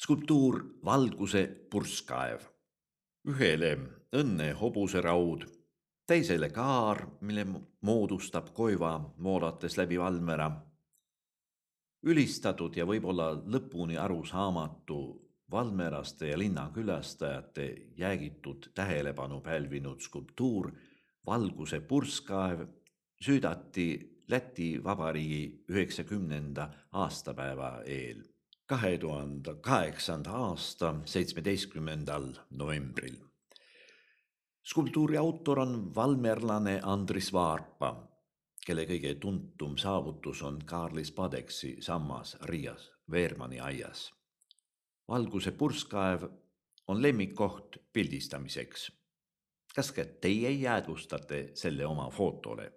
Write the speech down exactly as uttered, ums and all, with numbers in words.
Skulptuur Valguse purskkaev. Ühele õnne hobuseraud, teisele kaar, mille moodustab koiva moodates läbi valmera. Ülistatud ja võib-olla lõpuni aru saamatu valmeraste ja linnakülastajate jäägitud tähelepanu pälvinud skulptuur Valguse purskkaev süüdati Läti Vabariigi üheksakümnenda aastapäeva eel, kahe tuhande kaheksanda aasta seitsmeteistkümnendal novembril. Skulptuuri autor on valmerlane Andris Vaarpa, kelle kõige tuntum saavutus on Kaarli Spadeksi sammas Riias Veermani aias. Valguse purskkaev on lemmikkoht pildistamiseks. Kas ka teie jäädvustate selle oma fotole?